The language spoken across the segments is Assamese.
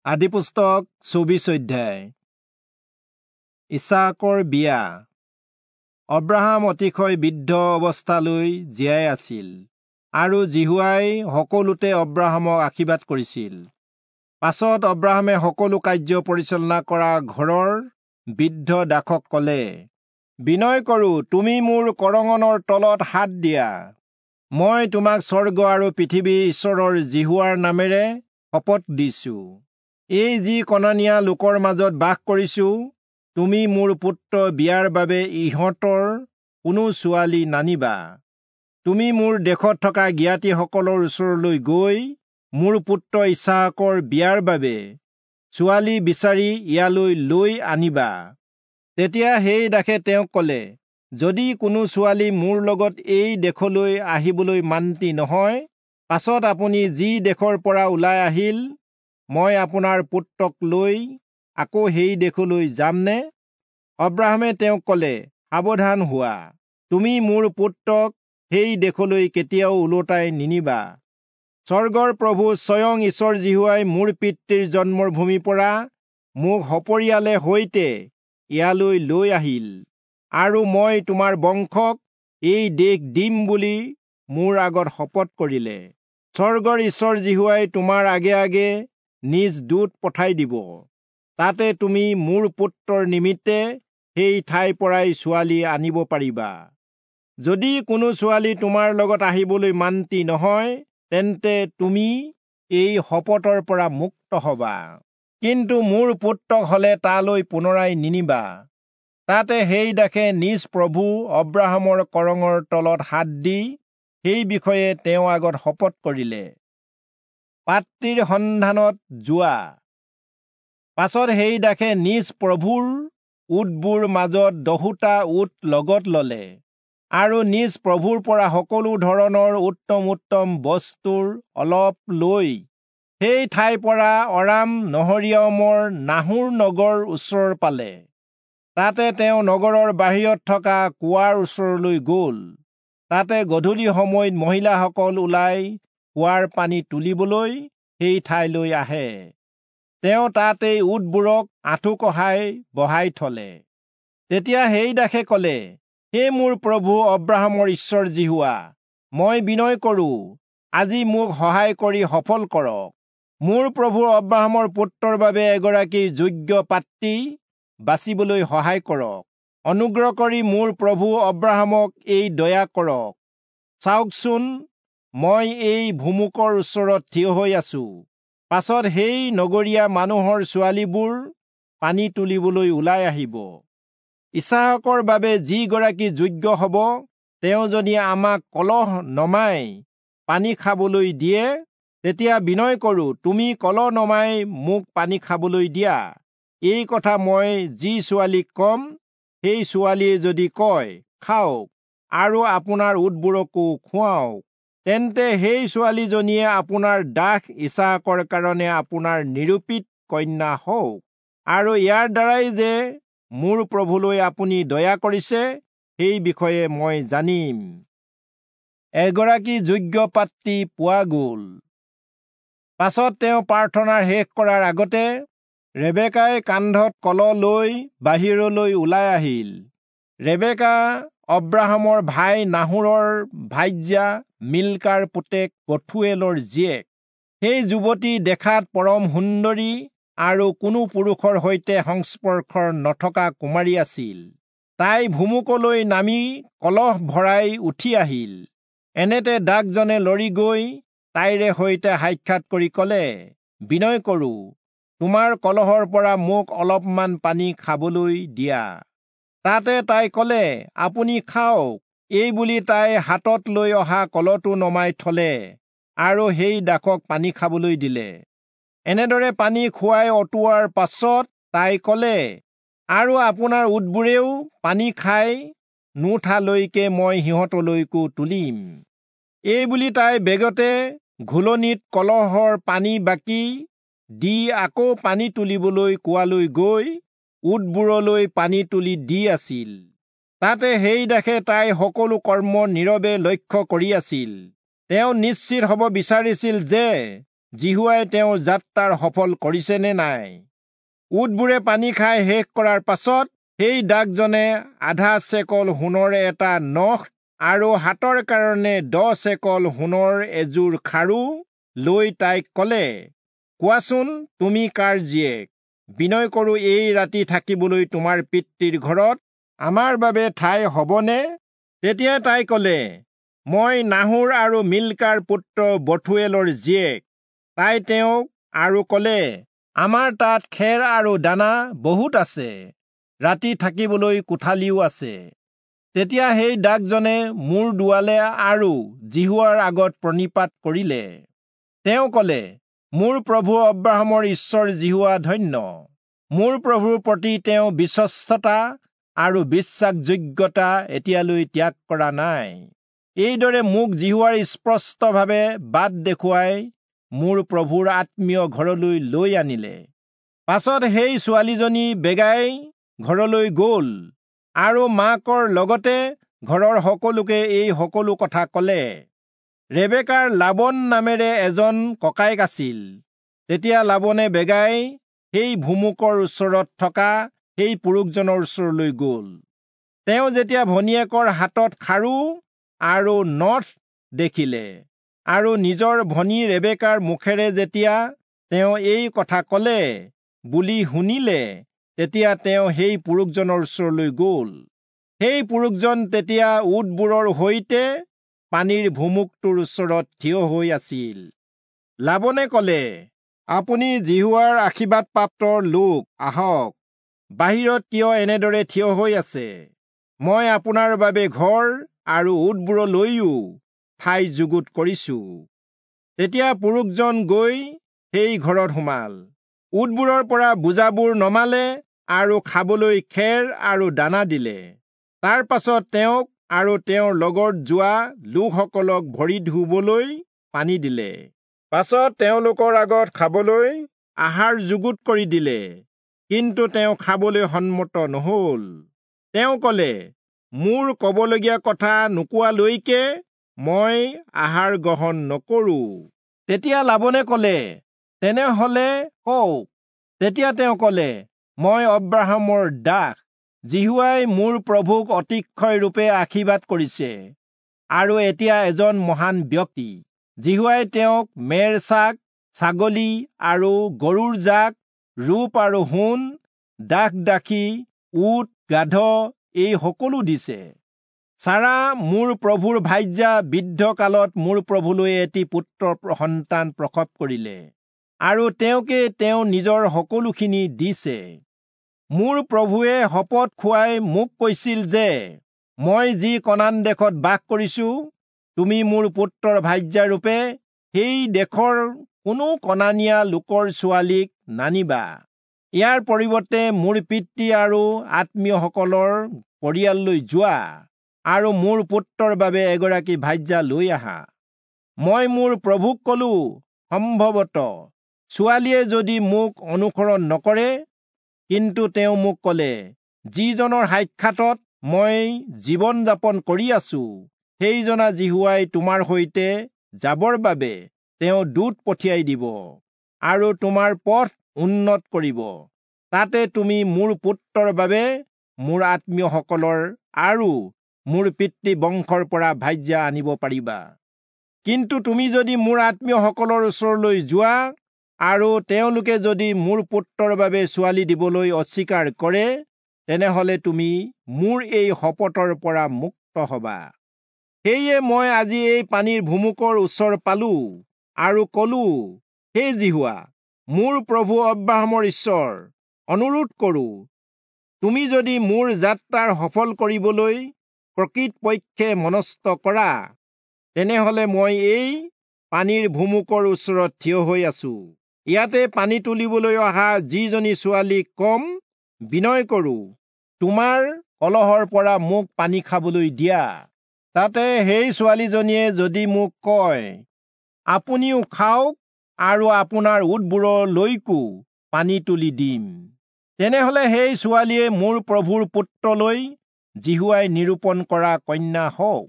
আদিপুস্তক 24 অধ্যায়। ইছাকৰ বিয়া। অব্ৰাহাম অতিশয় বৃদ্ধ অৱস্থালৈ জীয়াই আছিল আৰু যিহোৱাই সকলোতে অব্ৰাহামক আশীৰ্বাদ কৰিছিল। পাছত অব্ৰাহামে সকলো কাৰ্য পৰিচালনা কৰা ঘৰৰ বৃদ্ধ দাসক ক'লে, বিনয় কৰোঁ, তুমি মোৰ কৰঙনৰ তলত হাত দিয়া। মই তোমাক স্বৰ্গ আৰু পৃথিৱীৰ ঈশ্বৰৰ যিহোৱাৰ নামেৰে শপত দিছো। এই যি কনানীয়া লোকৰ মাজত বাস কৰিছো, তুমি মোৰ পুত্ৰ বিয়াৰ বাবে ইহঁতৰ কোনো ছোৱালী নানিবা। তুমি মোৰ দেশত থকা জ্ঞাতিসকলৰ ওচৰলৈ গৈ মোৰ পুত্ৰ ইছাকৰ বিয়াৰ বাবে ছোৱালী বিচাৰি ইয়ালৈ লৈ আনিবা। তেতিয়া সেই দাসে তেওঁক ক'লে, যদি কোনো ছোৱালী মোৰ লগত এই দেশলৈ আহিবলৈ মান্তি নহয়, পাছত আপুনি যি দেশৰ পৰা ওলাই আহিল, মই আপোনাৰ পুত্ৰক লৈ আকৌ সেই দেশলৈ যামনে? অব্ৰাহামে তেওঁক ক'লে, সাৱধান হোৱা, তুমি মোৰ পুত্ৰক সেই দেশলৈ কেতিয়াও ওলোটাই নিনিবা। স্বৰ্গৰ প্ৰভু স্বয়ং ঈশ্বৰ যিহোৱাই মোৰ পিতৃৰ জন্মৰ ভূমিৰ পৰা মোক সপৰিয়ালে সৈতে ইয়ালৈ লৈ আহিল, আৰু মই তোমাৰ বংশক এই দেশ দিম বুলি মোৰ আগত শপত কৰিলে। স্বৰ্গৰ ঈশ্বৰ যিহোৱাই তোমাৰ আগে আগে নিজ দূত পঠাই দিব, তাতে তুমি মোৰ পুত্ৰৰ নিমিত্তে সেই ঠাইৰ পৰাই ছোৱালী আনিব পাৰিবা। যদি কোনো ছোৱালী তোমাৰ লগত আহিবলৈ মান্তি নহয়, তেন্তে তুমি এই শপতৰ পৰা মুক্ত হবা, কিন্তু মোৰ পুত্ৰক হলে তালৈ পুনৰাই নিনিবা। তাতে সেই দাসে নিজ প্ৰভু অব্ৰাহামৰ কৰঙৰ তলত হাত দি সেই বিষয়ে তেওঁ আগত শপত কৰিলে। পাত্ৰীৰ সন্ধানত যোৱা। পাছত সেই দাসে নিজ প্ৰভুৰ উটবোৰ মাজত 10টা উট লগত ললে আৰু নিজ প্ৰভুৰ পৰা সকলো ধৰণৰ উত্তম উত্তম বস্তুৰ অলপ লৈ সেই ঠাইৰ পৰা অৰাম নহৰিয়মৰ নাহোৰ নগৰ ওচৰ পালে। তাতে তেওঁ নগৰৰ বাহিৰত থকা কুঁৱাৰ ওচৰলৈ গ'ল। তাতে গধূলি সময়ত মহিলাসকল ওলাই কুঁৱাৰ পানী তুলিবলৈ সেই ঠাইলৈ আহে। তেওঁ তাতেই উটবোৰক আঁঠু কঢ়াই বহাই থলে। তেতিয়া সেই দাসে ক'লে, হে মোৰ প্ৰভু অব্ৰাহামৰ ঈশ্বৰ যিহোৱা, মই বিনয় কৰোঁ, আজি মোক সহায় কৰি সফল কৰক। মোৰ প্ৰভু অব্ৰাহামৰ পুত্ৰৰ বাবে এগৰাকী যোগ্য পাত্ৰী বাচিবলৈ সহায় কৰক। অনুগ্ৰহ কৰি মোৰ প্ৰভু অব্ৰাহামক এই দয়া কৰক। চাওকচোন, মই এই ভুমুকৰ ওচৰত থিয় হৈ আছো। পাছত সেই নগৰীয়া মানুহৰ ছোৱালীবোৰ পানী তুলিবলৈ ওলাই আহিব। ইছাকৰ বাবে যিগৰাকী যোগ্য হ'ব, তেওঁ যদি আমাক কলহ নমাই পানী খাবলৈ দিয়ে, তেতিয়া বিনয় কৰোঁ, তুমি কলহ নমাই মোক পানী খাবলৈ দিয়া। এই কথা মই যি ছোৱালীক কম, সেই ছোৱালীয়ে যদি কয়, খাওক আৰু আপোনাৰ উটবোৰকো খুৱাওক, তেন্তে সেই ছোৱালীজনীয়ে আপোনাৰ দাস ইছাকৰ কাৰণে আপোনাৰ নিৰূপিত কন্যা হওক, আৰু ইয়াৰ দ্বাৰাই যে মোৰ প্ৰভুলৈ আপুনি দয়া কৰিছে, সেই বিষয়ে মই জানিম। এগৰাকী যোগ্য পাত্ৰী পোৱা গ'ল। পাছত তেওঁ প্ৰাৰ্থনা শেষ কৰাৰ আগতে ৰেবেকাই কান্ধত কলহ লৈ বাহিৰলৈ ওলাই আহিল। ৰেবেকা অব্ৰাহামৰ ভাই নাহোৰৰ ভাৰ্যা মিল্কাৰ পুতেক বথুৱেলৰ জীয়েক। সেই যুৱতী দেখাত পৰম সুন্দৰী আৰু কোনো পুৰুষৰ সৈতে সংস্পৰ্শ নথকা কুমাৰী আছিল। তাই ভুমুকলৈ নামি কলহ ভৰাই উঠি আহিল। এনেতে দাসজনে লৰি গৈ তাইৰে সৈতে সাক্ষাৎ কৰি ক'লে, বিনয় কৰোঁ, তোমাৰ কলহৰ পৰা মোক অলপমান পানী খাবলৈ দিয়া। তাতে তাই ক'লে, আপুনি খাওক। এই বুলি তাই হাতত লৈ অহা কলহটো নমাই থলে আৰু সেই দাসক পানী খাবলৈ দিলে। এনেদৰে পানী খুৱাই অঁতোৱাৰ পাছত তাই ক'লে, আৰু আপোনাৰ উটবোৰেও পানী খাই নুঠালৈকে মই সিহঁতলৈকো তুলিম। এই বুলি তাই বেগতে ঘোলনিত কলহৰ পানী বাকি দি আকৌ পানী তুলিবলৈ কুঁৱালৈ গৈ উটবোৰলৈ পানী তুলি দি আছিল। তাতে সেই দাসে তাই সকলো কৰ্ম নীৰৱে লক্ষ্য কৰি আছিল। তেওঁ নিশ্চিত হ'ব বিচাৰিছিল যে যিহোৱাই তেওঁৰ যাত্ৰাৰ সফল কৰিছে নে নাই। উটবোৰে পানী খাই শেষ কৰাৰ পাছত সেই দাসজনে আধা চেকল সোণৰ এটা নখ আৰু হাতৰ কাৰণে 10 চেকল সোণৰ এযোৰ খাৰু লৈ তাইক কলে, কোৱাচোন, তুমি কাৰ জীয়েক? বিনয় কৰোঁ, এই ৰাতি থাকিবলৈ তোমাৰ পিতৃৰ ঘৰত আমাৰ বাবে ঠাই হ'বনে? তেতিয়া তাই কলে, মই নাহোৰ আৰু মিল্কাৰ পুত্ৰ বথুৱেলৰ জীয়েক। তাই তেওঁক আৰু কলে, আমাৰ তাত খেৰ আৰু দানা বহুত আছে, ৰাতি থাকিবলৈ কোঠালিও আছে। তেতিয়া সেই দাসজনে মূৰ দোৱালে আৰু যিহোৱাৰ আগত প্ৰণিপাত কৰিলে। তেওঁ কলে, মোৰ প্ৰভু অব্ৰাহামৰ ঈশ্বৰ যিহোৱা ধন্য। মোৰ প্ৰভুৰ প্ৰতি তেওঁ বিশ্বস্ততা আৰু বিশ্বাসযোগ্যতা এতিয়ালৈ ত্যাগ কৰা নাই। এইদৰে মোক যিহোৱাৰ স্পষ্টভাৱে বাট দেখুৱাই মোৰ প্ৰভুৰ আত্মীয় ঘৰলৈ লৈ আনিলে। পাছত সেই ছোৱালীজনী বেগাই ঘৰলৈ গ'ল আৰু মাকৰ লগতে ঘৰৰ সকলোকে এই সকলো কথা কলে। ৰেবেকাৰ লাবন নামেৰে এজন ককায়েক আছিল। তেতিয়া লাবনে বেগাই সেই ভুমুকৰ ওচৰত থকা সেই পুৰুষজনৰ ওচৰলৈ গ'ল। তেওঁ যেতিয়া ভনীয়েকৰ হাতত খাৰু আৰু নথ দেখিলে আৰু নিজৰ ভনী ৰেবেকাৰ মুখেৰে যেতিয়া তেওঁ এই কথা কলে বুলি শুনিলে, তেতিয়া তেওঁ সেই পুৰুষজনৰ ওচৰলৈ গ'ল। সেই পুৰুষজন তেতিয়া উটবোৰৰ সৈতে পানীৰ ভুমুকটোৰ ওচৰত থিয় হৈ আছিল। লাবনে কলে, আপুনি যিহোৱাৰ আশীৰ্বাদপ্ৰাপ্ত লোক, আহক, বাহিৰত কিয় এনেদৰে থিয় হৈ আছে? মই আপোনাৰ বাবে ঘৰ আৰু উটবোৰলৈও ঠাই যুগুত কৰিছো। তেতিয়া পুৰুষজন গৈ সেই ঘৰত সোমাল। উটবোৰৰ পৰা বোজাবোৰ নমালে আৰু খাবলৈ খেৰ আৰু দানা দিলে। তাৰ পাছত তেওঁক আৰু তেওঁৰ লগত যোৱা লোকসকলক ভৰি ধুবলৈ পানী দিলে। পাছত তেওঁলোকৰ আগত খাবলৈ আহাৰ যুগুত কৰি দিলে, কিন্তু তেওঁ খাবলৈ সন্মত নহল। তেওঁ কলে, মোৰ কবলগীয়া কথা নোকোৱালৈকে মই আহাৰ গ্ৰহণ নকৰো। তেতিয়া লাবনে কলে, তেনেহলে কওক। তেতিয়া তেওঁ কলে, মই অব্ৰাহামৰ দাস। যিহোৱাই মোৰ প্ৰভুক অতিশয় ৰূপে আশীৰ্বাদ কৰিছে আৰু এতিয়া এজন মহান ব্যক্তি। যিহোৱাই তেওঁক মেৰ চাক, ছাগলী আৰু গৰুৰ জাক, ৰূপ আৰু সোণ, দাস দাসী, উট, গাধ এই সকলো দিছে। চাৰা মোৰ প্ৰভুৰ ভাৰ্যা বৃদ্ধ কালত মোৰ প্ৰভুলৈ এটি পুত্ৰ সন্তান প্ৰসৱ কৰিলে আৰু তেওঁকে তেওঁ নিজৰ সকলোখিনি দিছে। মোৰ প্ৰভুৱে শপত খুৱাই মোক কৈছিল যে, মই যি কনান দেশত বাস কৰিছো, তুমি মোৰ পুত্ৰৰ ভাৰ্যাৰূপে সেই দেশৰ কোনো কনানীয়া লোকৰ ছোৱালীক নানিবা। ইয়াৰ পৰিৱৰ্তে মোৰ পিতৃ আৰু আত্মীয়সকলৰ পৰিয়াললৈ যোৱা আৰু মোৰ পুত্ৰৰ বাবে এগৰাকী ভাৰ্যা লৈ আহা। মই মোৰ প্ৰভুক কলো, সম্ভৱতঃ ছোৱালীয়ে যদি মোক অনুসৰণ নকৰে। কিন্তু তেওঁ মোক কলে, যিজনৰ সাক্ষাতত মই জীৱন যাপন কৰি আছো, সেইজনা যিহোৱাই তোমাৰ সৈতে যাবৰ বাবে তেওঁ দূত পঠিয়াই দিব আৰু তোমাৰ পথ উন্নত কৰিব। তাতে তুমি মোৰ পুত্ৰৰ বাবে মোৰ আত্মীয়সকলৰ আৰু মোৰ পিতৃ বংশৰ পৰা ভাৰ্যা আনিব পাৰিবা। কিন্তু তুমি যদি মোৰ আত্মীয়সকলৰ ওচৰলৈ যোৱা আৰু তেওঁলোকে যদি মোৰ পুত্ৰৰ বাবে ছোৱালী দিবলৈ অস্বীকাৰ কৰে, তেনেহলে তুমি মোৰ এই শপতৰ পৰা মুক্ত হবা। সেয়ে মই আজি এই পানীৰ ভুমুকৰ ওচৰ পালো আৰু কলো, হে যিহোৱা, মোৰ প্ৰভু অব্ৰাহামৰ ঈশ্বৰ, অনুৰোধ কৰো, তুমি যদি মোৰ যাত্ৰাৰ সফল কৰিবলৈ প্ৰকৃতপক্ষে মনস্থ কৰা, তেনেহলে মই এই পানীৰ ভুমুকৰ ওচৰত থিয় হৈ আছো। ইয়াতে পানী তুলিবলৈ অহা যিজনী ছোৱালীক কম, বিনয় কৰো, তোমাৰ কলহৰ পৰা মোক পানী খাবলৈ দিয়া। তাতে সেই ছোৱালীজনীয়ে যদি মোক কয়, আপুনিও খাওক আৰু আপোনাৰ উটবোৰলৈকো পানী তুলি দিম, তেনেহলে সেই ছোৱালীয়ে মোৰ প্ৰভুৰ পুত্ৰলৈ যিহোৱাই নিৰূপণ কৰা কন্যা হওক।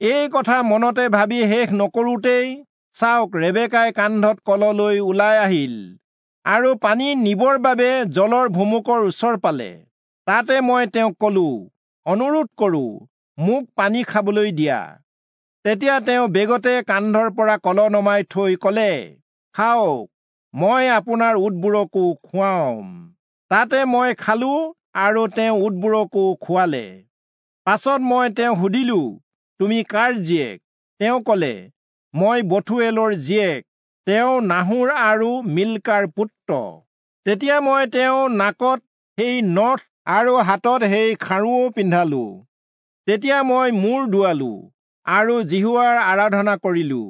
এই কথা মনতে ভাবি শেষ নকৰোঁতেই চাওক, ৰেবেকাই কান্ধত কললৈ ওলাই আহিল আৰু পানী নিবৰ বাবে জলৰ ভুমুকৰ ওচৰ পালে। তাতে মই তেওঁক কলো, অনুৰোধ কৰো, মোক পানী খাবলৈ দিয়া। তেতিয়া তেওঁ বেগতে কান্ধৰ পৰা কল নমাই থৈ কলে, খাওক, মই আপোনাৰ উটবোৰকো খুৱাম। তাতে মই খালো আৰু তেওঁ উটবোৰকো খুৱালে। পাছত মই তেওঁক সুধিলো, তুমি কাৰ জীয়েক? তেওঁ কলে, মই বথুৱেলৰ জীয়েক, তেওঁ নাহোৰ আৰু মিল্কাৰ পুত্ৰ। তেতিয়া মই তেওঁ নাকত সেই নথ আৰু হাতত সেই খাৰুও পিন্ধালো। তেতিয়া মই মূৰ দোৱালো আৰু যিহোৱাৰ আৰাধনা কৰিলো।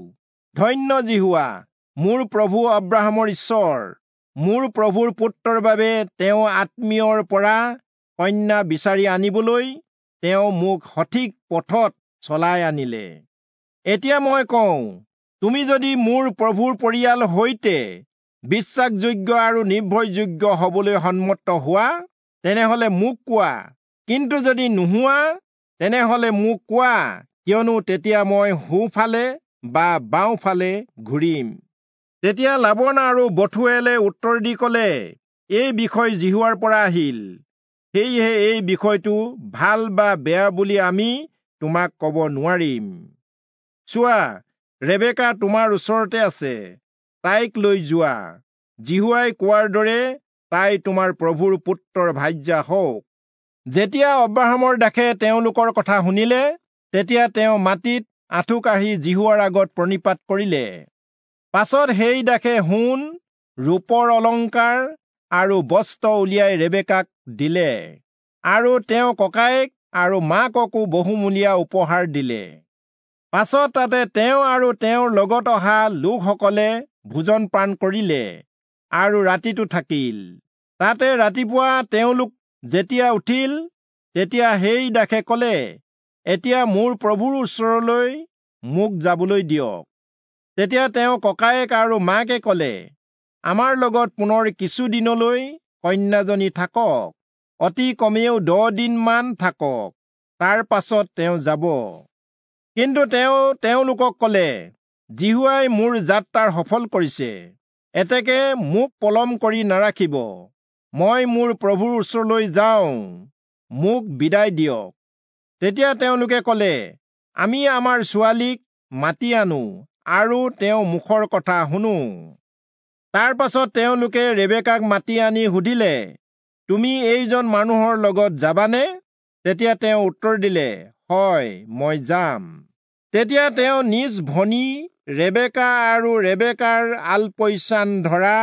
ধন্য যিহোৱা, মোৰ প্ৰভু অব্ৰাহামৰ ঈশ্বৰ, মোৰ প্ৰভুৰ পুত্ৰৰ বাবে তেওঁ আত্মীয়ৰ পৰা কন্যা বিচাৰি আনিবলৈ তেওঁ মোক সঠিক পথত চলাই আনিলে। এতিয়া মই কওঁ, তুমি যদি মোৰ প্ৰভুৰ পৰিয়াল সৈতে বিশ্বাসযোগ্য আৰু নিৰ্ভৰযোগ্য হবলৈ সন্মত হোৱা, তেনেহলে মোক কোৱা, কিন্তু যদি নোহোৱা, তেনেহলে মোক কোৱা, কিয়নো তেতিয়া মই সোঁফালে বা বাওঁফালে ঘূৰিম। তেতিয়া লাবন আৰু বথুৱেলে উত্তৰ দি কলে, এই বিষয় যিহোৱাৰ পৰা আহিল, সেয়েহে এই বিষয়টো ভাল বা বেয়া বুলি আমি তোমাক কব নোৱাৰিম। চোৱা, ৰেবেকা তোমাৰ ওচৰতে আছে, তাইক লৈ যোৱা। যিহোৱাই কোৱাৰ দৰে তাই তোমাৰ প্ৰভুৰ পুত্ৰৰ ভাৰ্যা হওক। যেতিয়া অব্ৰাহামৰ দাসে তেওঁলোকৰ কথা শুনিলে, তেতিয়া তেওঁ মাটিত আঁঠু কাঢ়ি যিহোৱাৰ আগত প্ৰণিপাত কৰিলে। পাছত সেই দাসে সোণ, ৰূপৰ অলংকাৰ আৰু বস্ত্ৰ উলিয়াই ৰেবেকাক দিলে, আৰু তেওঁ ককায়েক আৰু মাককো বহুমূলীয়া উপহাৰ দিলে। পাছত তাতে তেওঁ আৰু তেওঁৰ লগত অহা লোকসকলে ভোজন পান কৰিলে আৰু ৰাতিটো থাকিল। তাতে ৰাতিপুৱা তেওঁলোক যেতিয়া উঠিল, তেতিয়া সেই দাসে কলে, এতিয়া মোৰ প্ৰভুৰ ওচৰলৈ মোক যাবলৈ দিয়ক। তেতিয়া তেওঁ ককায়েক আৰু মাকে কলে, আমাৰ লগত পুনৰ কিছুদিনলৈ কন্যাজনী থাকক, অতি কমেও 10 দিনমান থাকক, তাৰ পাছত তেওঁ যাব। কিন্তু তেওঁ তেওঁলোকক কলে, যিহোৱাই মোৰ যাত্ৰাৰ সফল কৰিছে, এতেকে মোক পলম কৰি নাৰাখিব, মই মোৰ প্ৰভুৰ ওচৰলৈ যাওঁ, মোক বিদায় দিয়ক। তেতিয়া তেওঁলোকে কলে, আমি আমাৰ ছোৱালীক মাতি আনো আৰু তেওঁ মুখৰ কথা শুনো। তাৰ পাছত তেওঁলোকে ৰেবেকাক মাতি আনি সুধিলে, তুমি এইজন মানুহৰ লগত যাবানে? তেতিয়া তেওঁ উত্তৰ দিলে, হয়, মই যাম। তেতিয়া তেওঁ নিজ ভনী ৰেবেকা আৰু ৰেবেকাৰ আলপৈচান ধৰা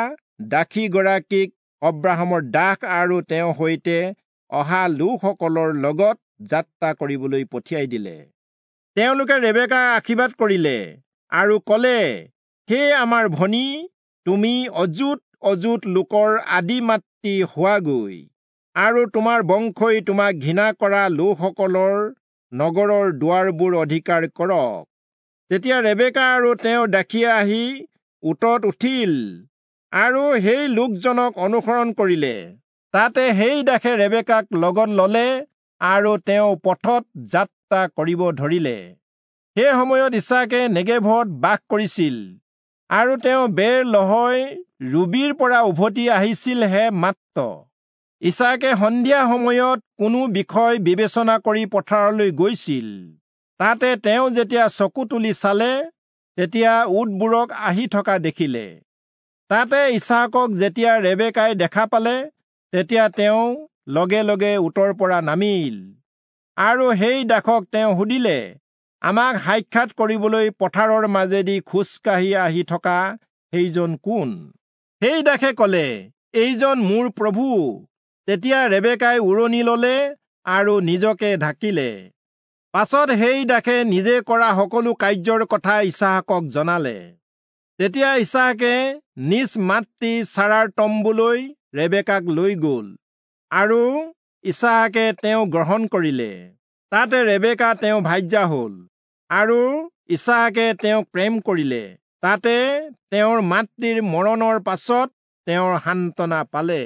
দাসীগৰাকীক অব্ৰাহামৰ দাস আৰু তেওঁৰ সৈতে অহা লোকসকলৰ লগত যাত্ৰা কৰিবলৈ পঠিয়াই দিলে। তেওঁলোকে ৰেবেকাক আশীৰ্বাদ কৰিলে আৰু কলে, হে আমাৰ ভনী, তুমি অযুত অযুত লোকৰ আদি মাতৃ হোৱাগৈ, আৰু তোমাৰ বংশই তোমাক ঘৃণা কৰা লোকসকলৰ নগৰৰ দুৱাৰবোৰ অধিকাৰ কৰক। তেতিয়া ৰেবেকা আৰু তেওঁ দাসীয়ে আহি উটত উঠিল আৰু সেই লোকজনক অনুসৰণ কৰিলে। তাতে সেই দাসে ৰেবেকাক লগত ললে আৰু তেওঁ পথত যাত্ৰা কৰিব ধৰিলে। সেই সময়ত ইছাকে নেগেভত বাস কৰিছিল, আৰু তেওঁ বেৰ লহয় ৰুবিৰ পৰা উভতি আহিছিলহে মাত্ৰ। ইছাকে সন্ধিয়া সময়ত কোনো বিষয় বিবেচনা কৰি পথাৰলৈ গৈছিল। তাতে তেওঁ যেতিয়া চকু তুলি চালে, তেতিয়া উটবোৰক আহি থকা দেখিলে। তাতে ইছাকক যেতিয়া ৰেবেকাই দেখা পালে, তেতিয়া তেওঁ লগে লগে উটৰ পৰা নামিল আৰু সেই দাসক তেওঁ সুধিলে, আমাক সাক্ষাৎ কৰিবলৈ পথাৰৰ মাজেদি খোজকাঢ়ি আহি থকা সেইজন কোন? সেই দাসে কলে, এইজন মোৰ প্ৰভু। তেতিয়া ৰেবেকাই উৰণি ললে আৰু নিজকে ঢাকিলে। পাছত সেই দাসে নিজে কৰা সকলো কাৰ্যৰ কথা ইছাহাকক জনালে। তেতিয়া ইছাহাকে নিজ মাতৃ চাৰাৰ তম্বুলৈ ৰেবেকাক লৈ গল আৰু ইছাহাকে তেওঁ গ্ৰহণ কৰিলে। তাতে ৰেবেকা তেওঁ ভাৰ্যা হল আৰু ইছাহাকে তেওঁক প্ৰেম কৰিলে। তাতে তেওঁৰ মাতৃৰ মৰণৰ পাছত তেওঁৰ সান্তনা পালে।